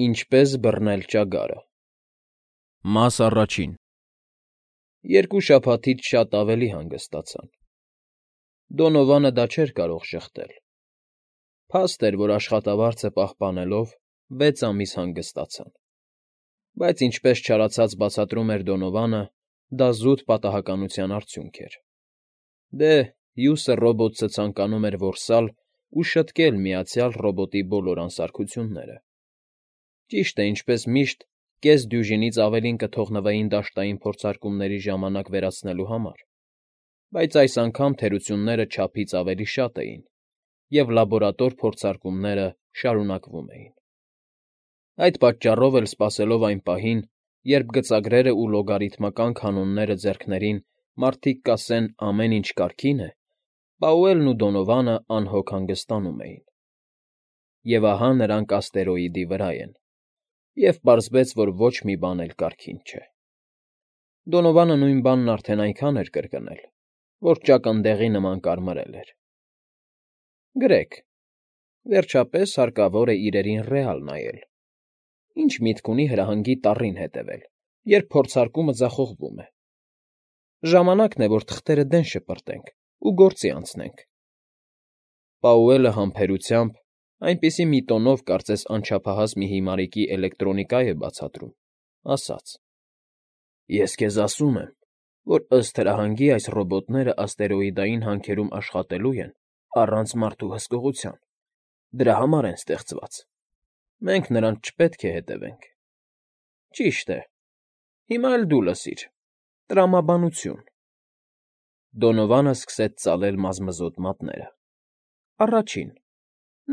Ինչպես բռնել ճագարը։ Մաս առաջին։ Երկու շաբաթից շատ ավելի հանգստացան։ Դոնովանը դա չէր կարող շղթել։ Փաստ էր, որ աշխատավարձը պահպանելով 6 ամիս հանգստացան։ Բայց ինչպես չարացած բացատրում էր Դոնովանը, դա զուտ պատահականության արդյունք էր։ Դե, Հյուսը ռոբոտը ցանկանում էր որսալ ու շտկել միացյալ ռոբոտի բոլոր անսարքությունները։ Ճիշտ է, ինչպես միշտ, կես դյուժինից ավելին կթողնվեին դաշտային փորձարկումների ժամանակ վերացնելու համար, բայց այս անգամ թերությունները չափից ավելի շատ էին, և լաբորատոր փորձարկումները շարունակվում էին։ Այդ պատճառով էլ սպասելով այն պահին, երբ գծագրերն ու լոգարիթմական կանոնները ձեռքներին մարդիկ կասեն ամեն ինչ կարգին է, Պաուելն ու Դոնովանը անհոգ հանգստանում էին։ Եվ ահա նրանք աստերոիդի վրա են, և պարզվեց, որ ոչ մի բան էլ կարգին չէ։ Դոնովանը նույն բանն արդեն այնքան էր կրկնել, որ ճակնդեղի նման կարմրել էր։ Գրեք, վերջապես հարկավոր է իրերին ռեալ նայել։ Ինչ միտք ունի հրահանգի տառին հետևել, երբ փորձարկումը ձախողվում է։ Ժամանակն է, որ թղթերը դեն շպրտենք ու գործի անցնենք։ Պաուելը համբերությամբ, այնպիսի մի տոնով, կարծես անչափահաս մի հիմարիկի էլեկտրոնիկա է բացատրում, ասաց. Ես քեզ ասում եմ, որ ըստ հրահանգի այս ռոբոտները աստերոիդային հանքերում աշխատելու են առանց մարդու հսկողության, դրա համար են ստեղծված։ Մենք նրանց չպետք է հետևենք։ Ճիշտ է։ Հիմա էլ դու լսիր. տրամաբանություն։ Դոնովանը սկսեց ծալել մազմզոտ մատները։ Առաջին.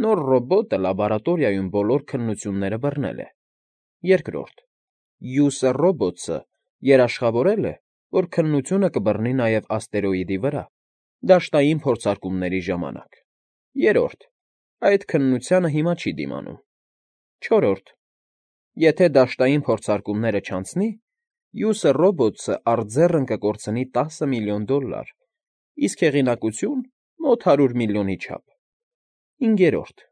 նոր ռոբոտը լաբորատորիայում բոլոր քննությունները բռնել է։ Երկրորդ. Հյուսը ռոբոտը երաշխավորել է, որ քննությունը կբռնի նաև աստերոիդի վրա, դաշտային փորձարկումների ժամանակ։ Երրորդ. այդ քննությանը հիմա չի դիմանում։ Չորրորդ. եթե դաշտային փորձարկումները չանցնի, Հյուսը ռոբոտը արձեռն կկորցնի $10 միլիոն, իսկ հեղինակություն՝ մոտ 100 միլիոնի չափ։ Հինգերորդ.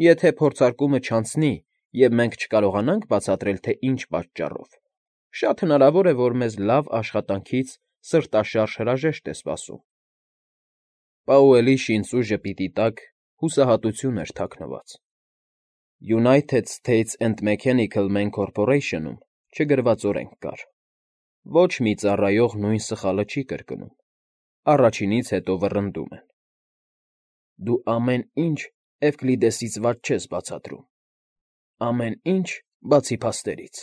եթե փորձարկումը չանցնի, և մենք չկարողանանք բացատրել, թե ինչ պատճառով, շատ հնարավոր է, որ մեզ լավ աշխատանքից սրտաշարժ հրաժեշտ է սպասում։ Պաուելի շինծու ժպիտի տակ հուսահատություն էր թաքնված։ United States and Mechanical Man Corporation-ում չգրված օրենք կար. ոչ մի ծառայող նույն սխալը չի կրկնում, առաջինից հետո վռնդում են։ Դու ամեն ինչ Էվկլիդեսից վատ չես բացատրում։ Ամեն ինչ, բացի փաստերից։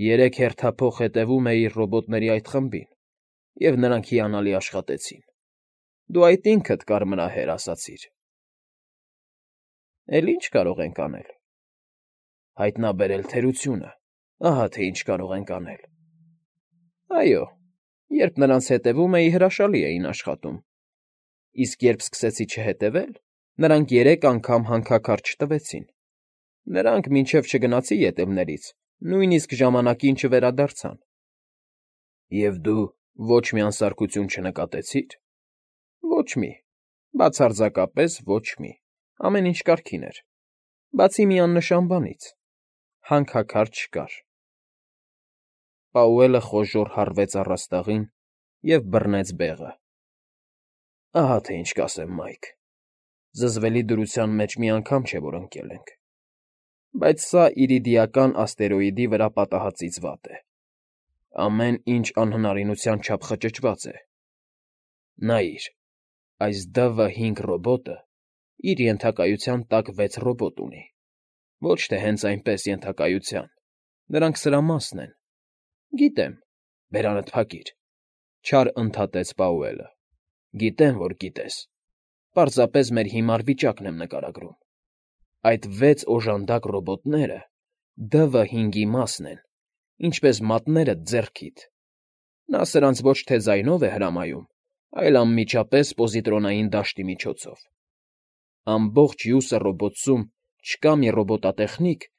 3 հերթափոխ հետևում էիր ռոբոտների այդ խմբին, և նրանք հիանալի աշխատեցին։ Դու այդ ինքդ կարմրահեր ասացիր։ Էլ ի՞նչ կարող ենք անել։ Հայտնաբերել թերությունը, ահա թե ինչ կարող ենք անել։ Այո, երբ նրանց հետևում էի, հրաշալի էին աշխատում, իսկ երբ սկսեցի չհետևել, նրանք 3 անգամ հանքաքարտ չտվեցին։ Նրանք, մինչև չգնացի ետևներից, նույնիսկ ժամանակին չվերադարձան։ Եվ դու ոչ մի անսարքություն չնկատեցի՞ր։ Ոչ մի, բացարձակապես ոչ մի, ամեն ինչ կարգին էր, բացի մի աննշան բանից. հանքաքարտ չկար։ Պաուելը խոժոռ հառվեց առաստաղին և բռնեց բեղը։ Ահա թե ինչ կասեմ, Մայք, զզվելի դրության մեջ մի անգամ չէ, որ ընկել ենք, բայց սա իրիդիական աստերոիդի վրա պատահածից վատ է։ Ամեն ինչ անհնարինության չափ խճճված է։ Նայիր, այս DV5 ռոբոտը իր ենթակայության տակ 6 ռոբոտ ունի։ Ոչ թե հենց այնպես ենթակայության, նրանք սրա մասն են։ Գիտեմ, բերանդ փակիր, չար ընդհատեց Պաուելը։ Գիտեմ, որ գիտես։ Պարզապես մեր հիմար վիճակն եմ նկարագրում։ Այդ 6 օժանդակ ռոբոտները DV5-ի մասն են, ինչպես մատները ձեռքիդ։ Նա սրանց ոչ թե ձայնով է հրամայում, այլ անմիջապես պոզիտրոնային դաշտի միջոցով։ Ամբողջ Հյուսը ռոբոտսում չկա մի ռոբոտատեխնիկ,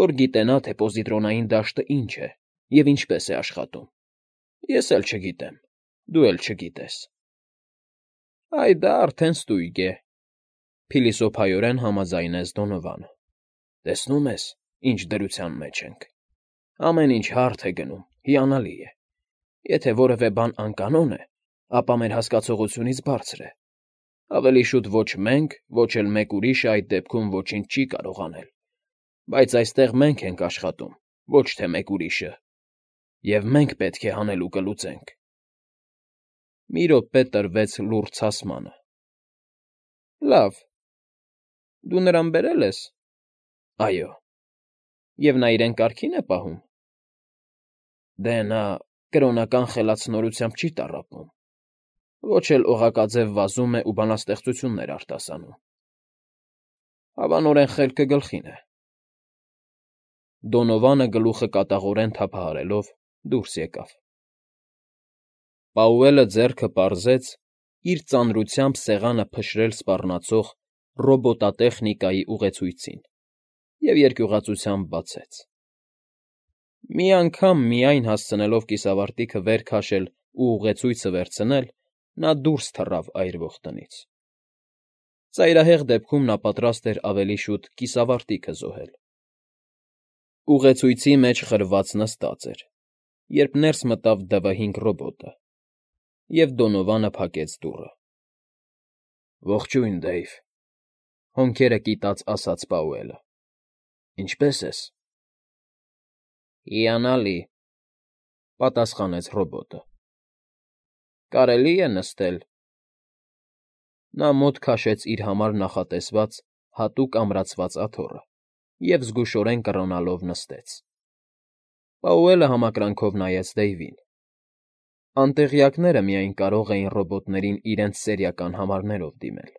որ գիտենա, թե պոզիտրոնային դաշտը ինչ է և ինչպես է աշխատում։ Ես էլ չգիտեմ, դու էլ չգիտես։ Այ դա արդեն ստույգ է, փիլիսոփայորեն համաձայնեց Դոնովանը։ Տեսնում ես, ինչ դրության մեջ ենք։ Ամեն ինչ հարթ է գնում, հիանալի է։ Եթե որևէ բան անկանոն է, ապա մեր հասկացողությունից բարձր է։ Ավելի շուտ ոչ մենք, ոչ էլ մեկ ուրիշը այդ դեպքում ոչինչ չի կարող անել։ Բայց այստեղ մենք ենք աշխատում, ոչ թե մեկ ուրիշը։ Եվ մենք պետք է հանելուկը լուծենք։ Մի րոպե տրվեց լուռ ցասմանը։ Լավ, դու նրան բերել ես։ Այո։ Եվ նա իրեն կարգին է պահում։ Դե նա կրոնական խելացնորությամբ չի տառապում։ Ոչ էլ օղակաձև վազում է ու բանաստեղծություններ արտասանում։ Հավանորեն խելքը գլխին է։ Դոնովանը գլուխը կատաղորեն թափահարելով դուրս եկավ։ Պաուելը ձեռքը պարզեց իր ծանրությամբ սեղանը փշրել սպառնացող ռոբոտատեխնիկայի ուղեցույցին և երկյուղածությամբ բացեց։ Մի անգամ միայն հասցնելով կիսավարտիքը վեր քաշել ու ուղեցույցը վերցնել, նա դուրս թռավ այրվող տնից։ Ծայրահեղ դեպքում նա պատրաստ էր ավելի շուտ կիսավարտիքը զոհել։ Ուղեցույցի մեջ խրված նստած էր, երբ ներս մտավ DV5 ռոբոտը, և Դոնովանը փակեց դուռը։ Ողջույն, Դեյվ,֊ հոնքերը կիտած ասաց Պաուելը։ Ինչպե՞ս ես։ Հիանալի,֊ պատասխանեց ռոբոտը։ Կարելի է նստել։ Նա մոտ քաշեց իր համար նախատեսված հատուկ ամրացված աթոռը և զգուշորեն կռոնալով նստեց։ Պաուելը համակրանքով նայեց Դեյվին։ Անտեղյակները միայն կարող էին ռոբոտներին իրենց սերիական համարներով դիմել,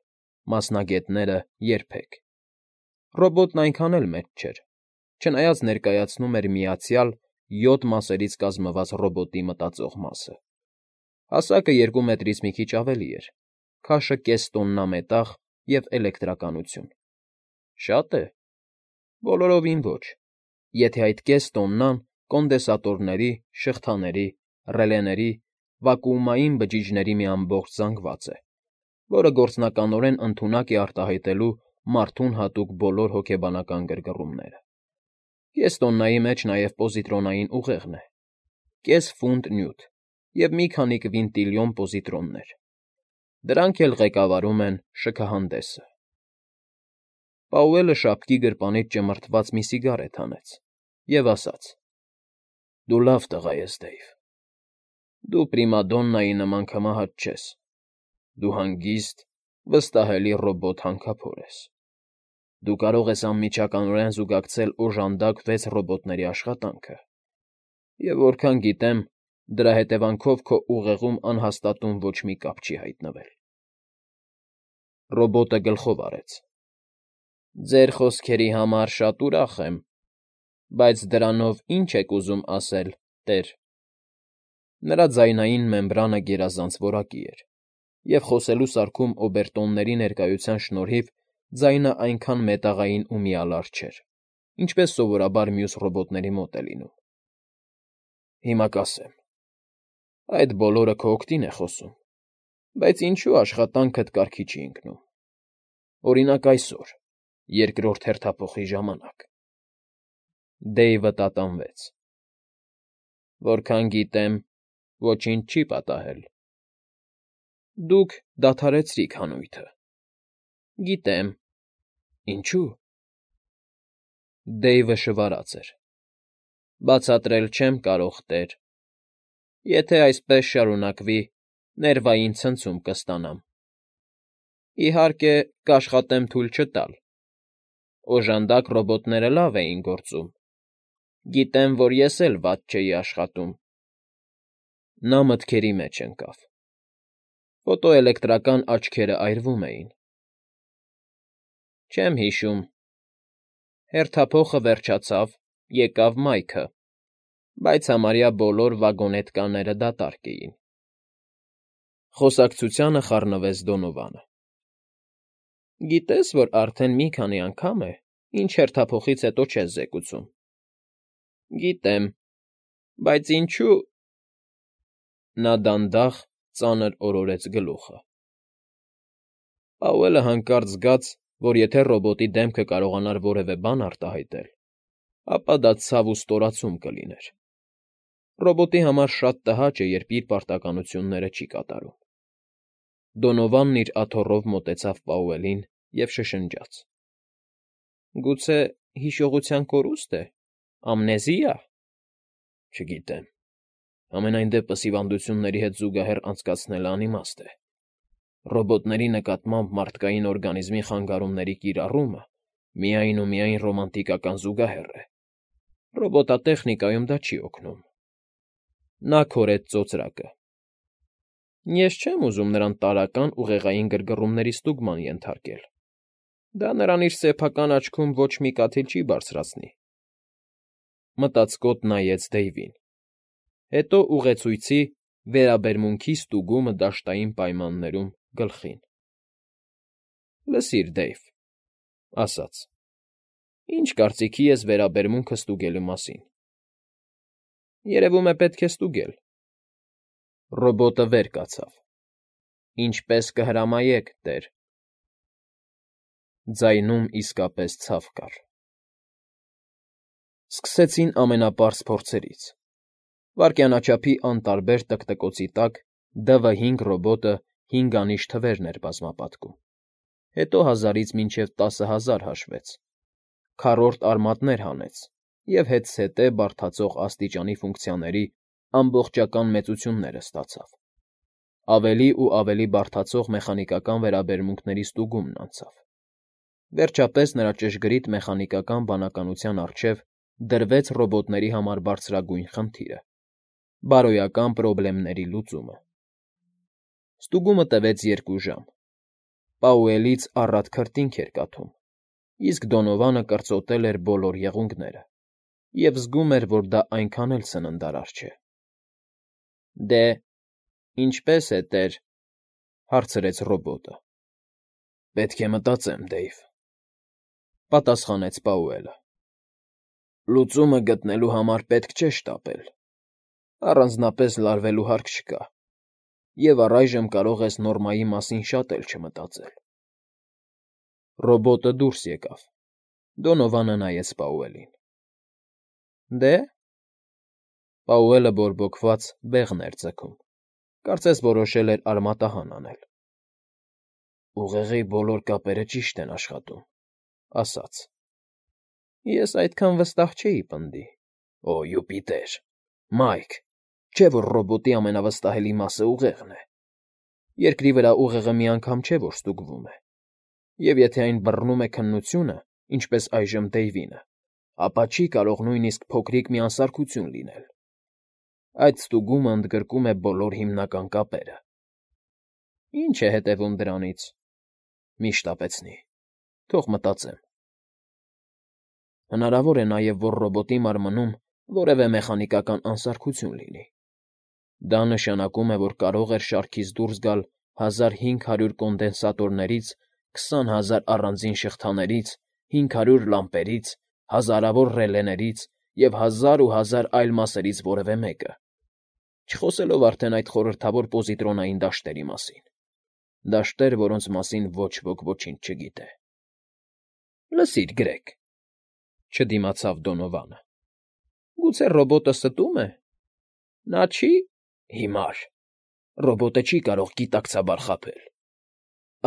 մասնագետները՝ երբեք։ Ռոբոտն այնքան էլ մեծ չէր, չնայած ներկայացնում էր միացյալ 7 մասերից կազմված ռոբոտի մտածող մասը։ Հասակը 2 մետրից մի քիչ ավելի էր, քաշը կես տոննա մետաղ և էլեկտրականություն։ Շա՞տ է։ Բոլորովին ոչ, եթե այդ կես տոննան կոնդենսատորների, շղթաների, ռելեների, վակուումային բջիջների մի ամբողջ զանգված է, որը գործնականորեն ընդունակ է արտահայտելու մարդուն հատուկ բոլոր հոգեբանական գրգռումները։ Կես տոննայի մեջ նաև պոզիտրոնային ուղեղն է, կես ֆունտ նյութ և մի քանի կվինտիլիոն պոզիտրոններ։ Դրանք էլ ղեկավարում են շքահանդեսը։ Պաուելը շապկի գրպանից ճմրթված մի սիգարետ հանեց և ասաց. Դու լավ տղա ես, Դեյվ։ Դու պրիմադոննայի նման քմահաճ չես։ Դու հանգիստ, վստահելի ռոբոտ հանքափոր ես։ Դու կարող ես անմիջականորեն զուգակցել օժանդակ 6 ռոբոտների աշխատանքը, և որքան գիտեմ, դրա հետևանքով քո ուղեղում անհաստատուն ոչ մի կապ չի հայտնվել։ Ռոբոտը գլխով արեց։ Ձեր խոսքերի համար շատ ուրախ եմ, բայց դրանով ի՞նչ եք ուզում ասել, տեր։ Նրա ձայնային մեմբրանը գերազանց որակի էր, և խոսելու սարքում օբերտոնների ներկայության շնորհիվ ձայնը այնքան մետաղային ու միալար չէր, ինչպես սովորաբար մյուս ռոբոտների մոտ է լինում։ Հիմա կասեմ. այդ բոլորը քո օգտին է խոսում, բայց ինչու աշխատանքդ կարգի չի ընկնում։ Օրինակ այսօր, երկրորդ հերթափոխի ժամանակ։ Դեյվը տատանվեց։ Որքան գիտեմ, ոչինչ չի պատահել։ Դուք դադարեցրիք հանույթը։ Գիտեմ։ Ինչու՞։ Դեյվը շվարած էր։ Բացատրել չեմ կարող, տեր։ Եթե այսպես շարունակվի, ներվային ցնցում կստանամ։ Իհարկե, կաշխատեմ թույլ չտալ։ Օժանդակ ռոբոտները լավ էին գործում։ Գիտեմ, որ ես էլ վատ չէի աշխատում։ Նա մտքերի մեջ ընկավ։ Ֆոտոէլեկտրական աչքերը այրվում էին։ Չեմ հիշում։ Հերթափոխը վերջացավ, եկավ Մայքը, բայց համարյա բոլոր վագոնետկաները դատարկ էին։ Խոսակցությանը խառնվեց Դոնովանը։ Գիտես, որ արդեն մի քանի անգամ է, ինչ հերթափոխից հետո չես զեկուցում։ Գիտեմ, բայց ինչու… Նա դանդաղ, ծանր օրորեց գլուխը։ Պաուելը հանկարծ զգաց, որ եթե ռոբոտի դեմքը կարողանար որևէ բան արտահայտել, ապա դա ցավ ու ստորացում կլիներ։ Ռոբոտի համար շատ տհաճ է, երբ իր պարտականությունները չի կատարում։ Դոնովանն իր աթոռով մոտեցավ Պաուելին և շշնջաց. Գուցե հիշողության կորուստ է, ամնեզիա։ Չգիտեմ։ Ամենայն դեպս հիվանդությունների հետ զուգահեռ անցկացնելը անիմաստ է։ Ռոբոտների նկատմամբ մարդկային օրգանիզմի խանգարումների կիրառումը միայն ու միայն ռոմանտիկական զուգահեռ է։ Ռոբոտատեխնիկայում դա չի օգնում։ Նա քորեց ծոծրակը։ Ես չեմ ուզում նրան տարրական ուղեղային գրգռումների ստուգման ենթարկել։ Դա նրան իր սեփական աչքում ոչ մի կաթիլ չի բարձրացնի։ Մտածկոտ նայեց Դեյվին։ Հետո ուղեցույցի վերաբերմունքի ստուգումը դաշտային պայմաններում գլխին։ Լսիր, Դեյվ, ասաց. Ինչ կարծիքի ես վերաբերմունքը ստուգելու մասին։ Երևում է պետք է ստուգել։ Ռոբոտը վեր կացավ։ Ինչպես կհրամայեք, տեր։ Ձայնում իսկապես ցավ կար։ Սկսեցին ամենապարզ փորձերից։ Վայրկյանաչափի անտարբեր տկտկոցի տակ ԴՎ5 ռոբոտը 5 անիշ թվերն էր բազմապատկում։ Հետո 1000-ից մինչև 10,000 հաշվեց, քառորդ արմատներ հանեց և հետզհետե բարդացող աստիճանի ֆունկցիաների ամբողջական մեծությունները ստացավ։ Ավելի ու ավելի բարդացող մեխանիկական վերաբերմունքների ստուգումն անցավ։ Վերջապես նրա ճշգրիտ մեխանիկական բանականության առջև դրվեց ռոբոտների համար բարձրագույն խնդիրը՝ բարոյական պրոբլեմների լուծումը։ Ստուգումը տևեց 2 ժամ։ Պաուելից առատ քրտինք էր կաթում, իսկ Դոնովանը կրծոտել էր բոլոր եղունգները և զգում էր, որ դա այնքան էլ սննդարար չէ։ Դե, ինչպե՞ս է, տեր,֊ հարցրեց ռոբոտը։ Պետք է մտածեմ, Դեյվ,֊ պատասխանեց Պաուելը։ Լուծումը գտնելու համար պետք չէ շտապել։ Առանձնապես լարվելու հարկ չկա, և առայժմ կարող ես նորմայի մասին շատ էլ չմտածել։ Ռոբոտը դուրս եկավ։ Դոնովանը նայեց Պաուելին։ Դե՞։ Պաուելը բորբոքված բեղն էր ձգում։ Կարծես որոշել էր արմատահան անել։ Ուղեղի բոլոր կապերը ճիշտ են աշխատում, ասաց։ Ես այդքան վստահ չէի, պնդի։ Օ, Յուպիտեր, Մայք, չէ՞ որ ռոբոտի ամենավստահելի մասը ուղեղն է։ Երկրի վրա ուղեղը մի անգամ չէ, որ ստուգվում է։ Եվ եթե այն բռնում է քննությունը, ինչպես այժմ Դեյվինը, ապա չի կարող նույնիսկ փոքրիկ մի անսարքություն լինել։ Այդ ստուգումը ընդգրկում է բոլոր հիմնական կապերը։ Ինչ է հետևում դրանից։ Մի շտապեցնի։ Թող մտածեմ։ Հնարավոր է նաև, որ ռոբոտի մարմնում որևէ մեխանիկական անսարքություն լինի։ Դա նշանակում է, որ կարող էր շարքից դուրս գալ 1500 կոնդենսատորներից, 20,000 առանձին շղթաներից, 500 լամպերից, հազարավոր ռելեներից և 1000 ու 1000 այլ մասերից որևէ մեկը, չխոսելով արդեն այդ խորհրդավոր պոզիտրոնային դաշտերի մասին։ Դաշտեր, որոնց մասին ոչ ոք ոչինչ չգիտե։ Լսիր, Գրեգ,֊ չդիմացավ Դոնովանը։ Գուցե ռոբոտը ստո՞ւմ է։ Նա չի… Հիմար։ Ռոբոտը չի կարող գիտակցաբար խաբել։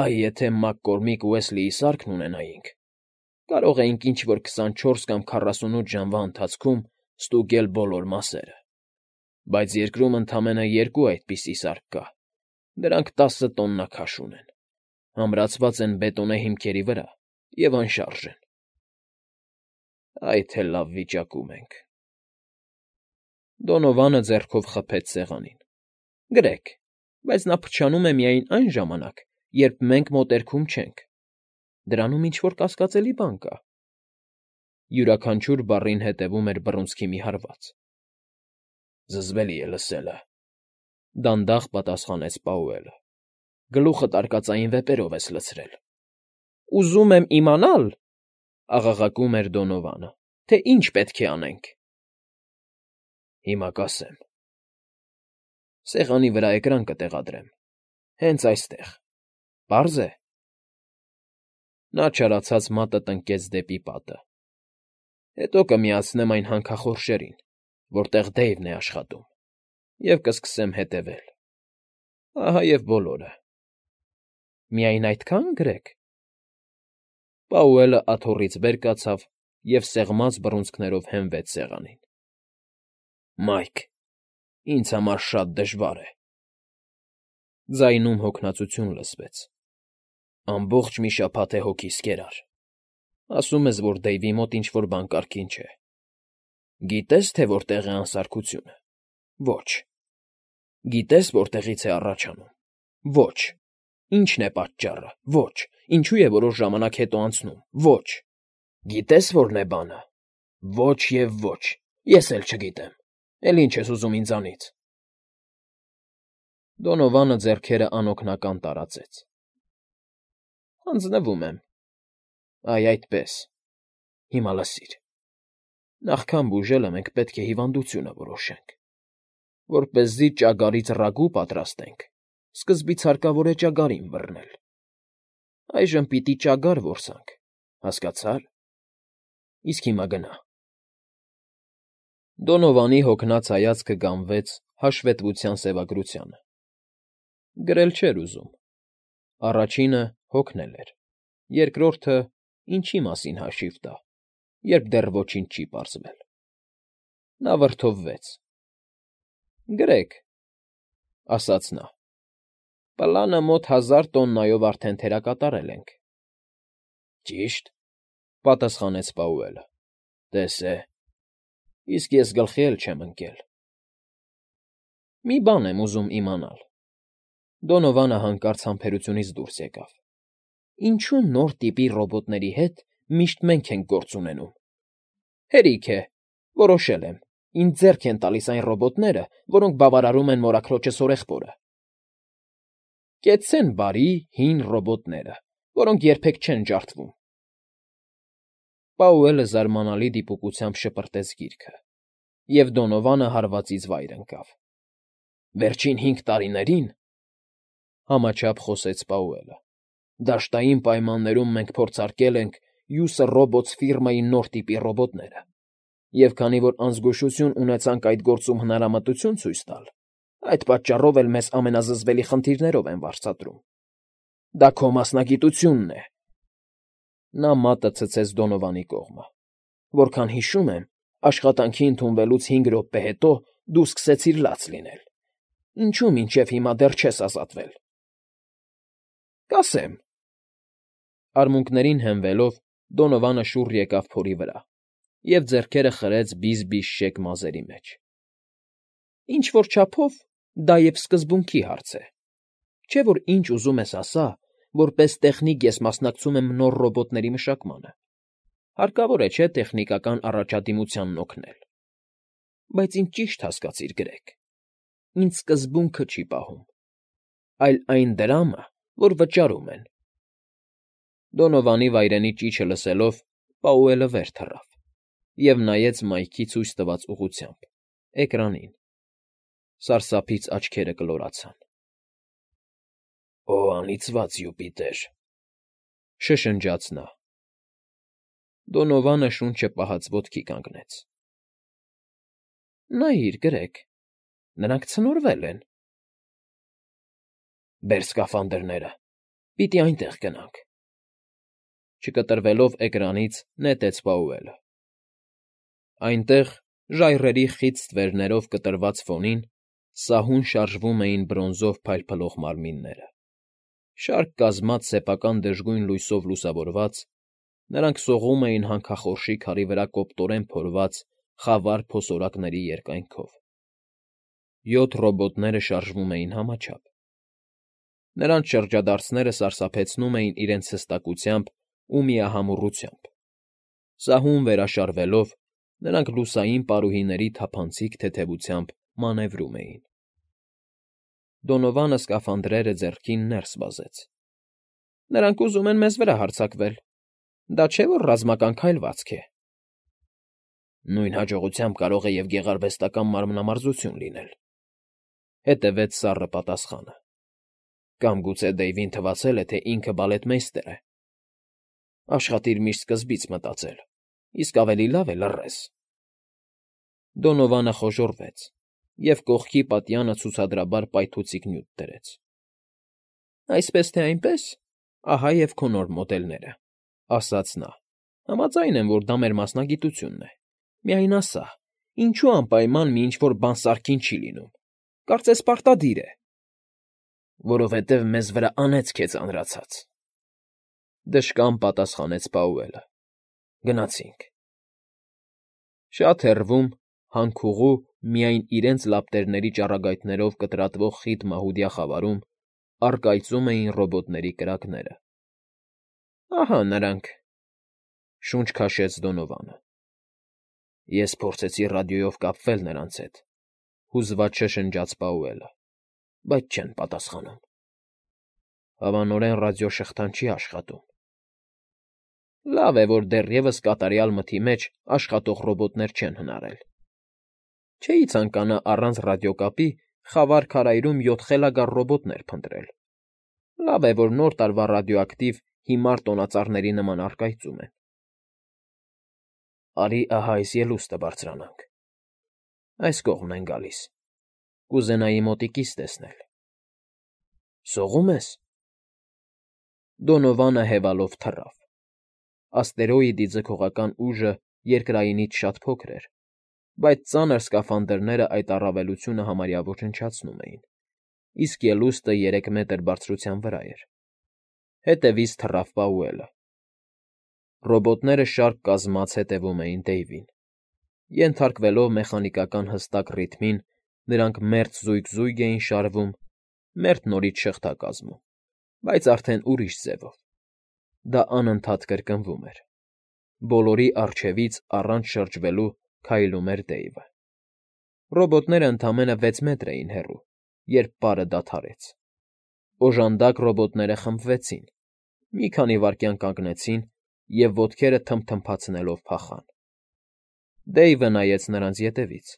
Այ եթե Մակկորմիկ Ուեսլիի սարքն ունենայինք, կարող էինք ինչ֊որ 24 կամ 48 ժամվա ընթացքում ստուգել բոլոր մասերը։ Բայց երկրում ընդամենը 2 այդպիսի սարք կա։ Դրանք 10 տոննա քաշ ունեն, ամրացված են բետոնե հիմքերի վրա և անշարժ են։ Այ թե լավ վիճակում ենք։ Դոնովանը ձեռքով խփեց սեղանին։ Գրեգ, բայց նա փչանում է միայն այն ժամանակ, երբ մենք մոտերքում չենք։ Դրանում ինչ֊որ կասկածելի բան կա։ Յուրաքանչյուր բառին հետևում էր բռունցքի մի հարված։ Զզվելի է լսելը,֊ դանդաղ պատասխանեց Պաուելը։ Գլուխդ արկածային վեպերով ես լցրել։ Ուզում եմ իմանալ,֊ աղաղակում էր Դոնովանը,֊ թե ինչ պետք է անենք։ Հիմա կասեմ։ Սեղանի վրա էկրան կտեղադրեմ։ Հենց այստեղ։ Պարզ է։ Նա չարացած մատը տնկեց դեպի պատը։ Հետո կմիացնեմ այն հանքախորշերին, որտեղ Դեյվն է աշխատում, և կսկսեմ հետևել։ Ահա և բոլորը։ Միայն այդքա՞ն, Գրեգ։ Պաուելը աթոռից վեր կացավ և սեղմած բռունցքներով հենվեց սեղանին։ Մայք, ինձ համար շատ դժվար է։ Ձայնում հոգնածություն լսվեց։ Ամբողջ մի շաբաթ է հոգիս կերար։ Ասում ես, որ Դեյվի մոտ ինչ֊որ բան կարգին չէ։ Գիտե՞ս, թե որտեղ է անսարքությունը։ Ոչ։ Գիտե՞ս, որտեղից է առաջանում։ Ոչ։ Ի՞նչն է պատճառը։ Ոչ։ Ինչու է որոշ ժամանակ հետո անցնում։ Ոչ։ Գիտե՞ս որն է բանը։ Ոչ և ոչ։ Ես էլ չգիտեմ։ Էլ ինչ ես ուզում ինձանից։ Դոնովանը ձեռքերը անօգնական տարածեց։ Հանձնվում եմ։ Այ այդպես։ Հիմա լսիր։ Նախքան բուժելը մենք պետք է հիվանդությունը որոշենք։ Որպեսզի ճագարից ռագու պատրաստենք, սկզբից հարկավոր է ճագարին բռնել։ Այժմ պիտի ճագար որսանք, հասկացա՞ր։ Իսկ հիմա գնա։ Դոնովանի հոգնած հայացքը գամվեց հաշվետվության սևագրությանը։ Գրել չէր ուզում։ Առաջինը հոգնել էր, երկրորդը ինչի մասին հաշիվ տա, երբ դեռ ոչինչ չի պարզվել։ Նա վրդովվեց։ Գրեգ, ասաց նա, պլանը մոտ 1000 տոննայով արդեն թերակատարել ենք։ Ճիշտ, պատասխանեց Պաուելը։ Տես է։ Իսկ ես գլխի էլ չեմ ընկել։ Մի բան եմ ուզում իմանալ։ Դոնովանը հանկարծ համբերությունից դուրս եկավ։ Ինչու նոր տիպի ռոբոտների հետ միշտ մենք ենք գործ ունենում։ Հերիք է, որոշել եմ։ Ինձ ձեռք են տալիս այն ռոբոտները, որոնք բավարարում են մորաքրոջս օրեխբորը։ Կեցցեն բարի, հին ռոբոտները, որոնք երբեք չեն ջարդվում։ Պաուելը զարմանալի դիպուկությամբ շպրտեց գիրքը, և Դոնովանը հարվածից վայր ընկավ։ Վերջին 5 տարիներին, համաչափ խոսեց Պաուելը, դաշտային պայմաններում մենք փորձարկել ենք Յուսը Ռոբոտս ֆիրմայի նոր տիպի ռոբոտները, և քանի որ անզգուշություն ունեցանք այդ գործում հնարամտություն ցույց տալ, այդ պատճառով էլ մեզ ամենազզվելի խնդիրներով են վարձատրում։ Դա քո մասնագիտությունն է։ Նա մատը ցցեց Դոնովանի կողմը։ Որքան հիշում եմ, աշխատանքի ընդունվելուց 5 րոպե հետո դու սկսեցիր լաց լինել։ Ինչու մինչև հիմա դեռ չես ազատվել։ Կասեմ։ Արմունկներին հենվելով Դոնովանը շուռ եկավ փորի վրա և ձեռքերը խրեց բիզ֊բիզ շեկ մազերի մեջ։ Ինչ֊որ չափով դա և սկզբունքի հարց է։ Չէ՞ որ ինչ ուզում ես ասա, որպես տեխնիկ ես մասնակցում եմ նոր ռոբոտների մշակմանը։ Հարկավոր է, չէ՞, տեխնիկական առաջադիմությանն օգնել։ Բայց ինձ ճիշտ հասկացիր, Գրեգ։ Ինձ սկզբունքը չի պահում, այլ այն դրամը, որ վճարում են։ Դոնովանի վայրենի ճիչը լսելով Պաուելը վեր թռավ և նայեց Մայքի ցույց տված ուղղությամբ, էկրանին։ Սարսափից աչքերը կլորացան։ Օ, անիծված Յուպիտեր, շշնջաց նա։ Դոնովանը շունչը պահած ոտքի կանգնեց։ Նայիր, Գրեգ, նրանք ցնորվել են։ Բեր սկաֆանդրները, պիտի այնտեղ գնանք։ Չկտրվելով էկրանից նետեց Պաուելը։ Այնտեղ, ժայռերի խիտ ստվերներով կտրված ֆոնին, սահուն շարժվում էին բրոնզով փայլփլող մարմինները։ Շարք կազմած սեփական դժգույն լույսով լուսավորված, նրանք սողում էին հանքախորշի քարի վրա կոպտորեն փորված խավար փոսորակների երկայնքով։ 7 ռոբոտները շարժվում էին համաչափ։ Նրանց շրջադարձները սարսափեցնում էին իրենց հստակությամբ ու միահամուռությամբ։ Սահուն վերաշարվելով, նրանք լուսային պարուհիների թափանցիկ թեթևությամբ մանևրում էին։ Դոնովանը սկաֆանդրերը ձեռքին ներս վազեց։ Նրանք ուզում են մեզ վրա հարձակվել։ Դա չէ՞ որ ռազմական քայլվածք է։ Նույն հաջողությամբ կարող է և գեղարվեստական մարմնամարզություն լինել։ Հետևեց սառը պատասխանը։ Կամ գուցե Դեյվին թվացել է, թե ինքը բալետմեյստեր է։ Աշխատիր միշտ սկզբից մտածել, իսկ ավելի լավ է լռես։ Դոնովանը խոժոռվեց և կողքի պատյանը ցուցադրաբար պայթուցիկ նյութ դրեց։ Այսպես թե այնպես, ահա և քո նոր մոդելները, ասաց նա։ Համաձայն եմ, որ դա մեր մասնագիտությունն է։ Միայն ասա, ինչու անպայման մի ինչ֊որ բան սարքին չի լինում։ Կարծես պարտադիր է։ Որովհետև մեզ վրա անեծք է ծանրացած,֊ դժկամ պատասխանեց Պաուելը։ Գնացինք։ Շատ հեռվում, հանքուղու, միայն իրենց լապտերների ճառագայթներով կտրատվող խիտ մահուդյա խավարում առկայծում էին ռոբոտների կրակները։ Ահա նրանք,֊ շունչ քաշեց Դոնովանը։ Ես փորձեցի ռադիոյով կապվել նրանց հետ,֊ հուզված շշնջաց Պաուելը,֊ բայց չեն պատասխանում։ Հավանորեն ռադիոշղթան չի աշխատում։ Լավ է, որ դեռևս կատարյալ մթի մեջ աշխատող ռոբոտներ չեն հնարել։ Չէի ցանկանա առանց ռադիոկապի խավար քարայրում 7 խելագար ռոբոտներ փնտրել։ Լավ է, որ Նոր տարվա ռադիոակտիվ հիմար տոնածառների նման առկայծում են։ Արի ահա այս ելուստը բարձրանանք։ Այս կողմն են գալիս։ Կուզենայի մոտիկից տեսնել։ Սողո՞ւմ ես։ Դոնովանը հևալով թռավ։ Աստերոիդի ձգողական ուժը երկրայինից շատ փոքր էր, բայց ծանր սկաֆանդրները այդ առավելությունը համարյա ոչնչացնում էին, իսկ ելուստը 3 մետր բարձրության վրա էր։ Հետևից թռավ Պաուելը։ Ռոբոտները շարք կազմած հետևում էին Դեյվին։ Ենթարկվելով մեխանիկական հստակ ռիթմին, նրանք մերթ զույգ էին շարվում, մերթ նորից շղթա կազմում, բայց արդեն ուրիշ ձևով։ Դա անընդհատ կրկնվում էր։ Բոլորի առջևից առանց շրջվելու քայլում էր Դեյվը։ Ռոբոտները ընդամենը 6 մետր էին հեռու, երբ պարը դադարեց։ Օժանդակ ռոբոտները խմբվեցին, մի քանի վայրկյան կանգնեցին և ոտքերը թմթմփացնելով փախան։ Դեյվը նայեց նրանց ետևից,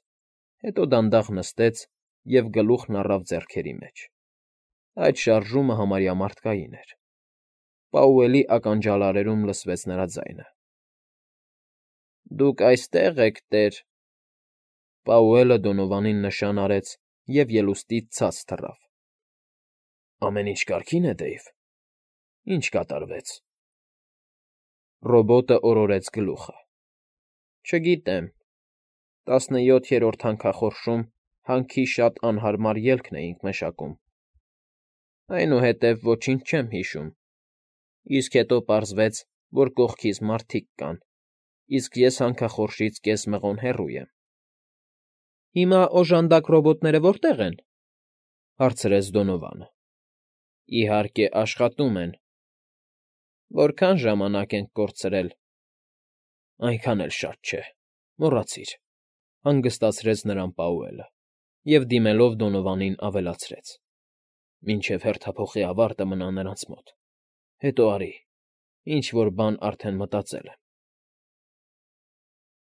հետո դանդաղ նստեց և գլուխն առավ ձեռքերի մեջ։ Այդ շարժումը համարյա մարդկային էր։ Պաուելի ականջալարերում լսվեց նրա ձայնը։ Դուք այստեղ եք, տեր… Պաուելը Դոնովանին նշան արեց և ելուստից ցած թռավ։ Ամեն ինչ կարգի՞ն է, Դեյվ։ Ինչ կատարվեց։ Ռոբոտը օրորեց գլուխը։ Չգիտեմ։ 17-րդ հանքախորշում հանքի շատ անհարմար ելքն էինք մշակում։ Այնուհետև ոչինչ չեմ հիշում։ Իսկ հետո պարզվեց, որ կողքիս մարդիկ կան, իսկ ես հանքախորշից կես մղոն հեռու եմ։ Հիմա օժանդակ ռոբոտները որտե՞ղ են,֊ հարցրեց Դոնովանը։ Իհարկե, աշխատում են։ Որքան ժամանակ ենք կորցրել։ Այնքան էլ շատ չէ, մոռացիր,֊ հանգստացրեց նրան Պաուելը և, դիմելով Դոնովանին, ավելացրեց. Մինչև հերթափոխի ավարտը մնա նրանց մոտ։ Հետո արի, ինչ֊որ բան արդեն մտածել եմ։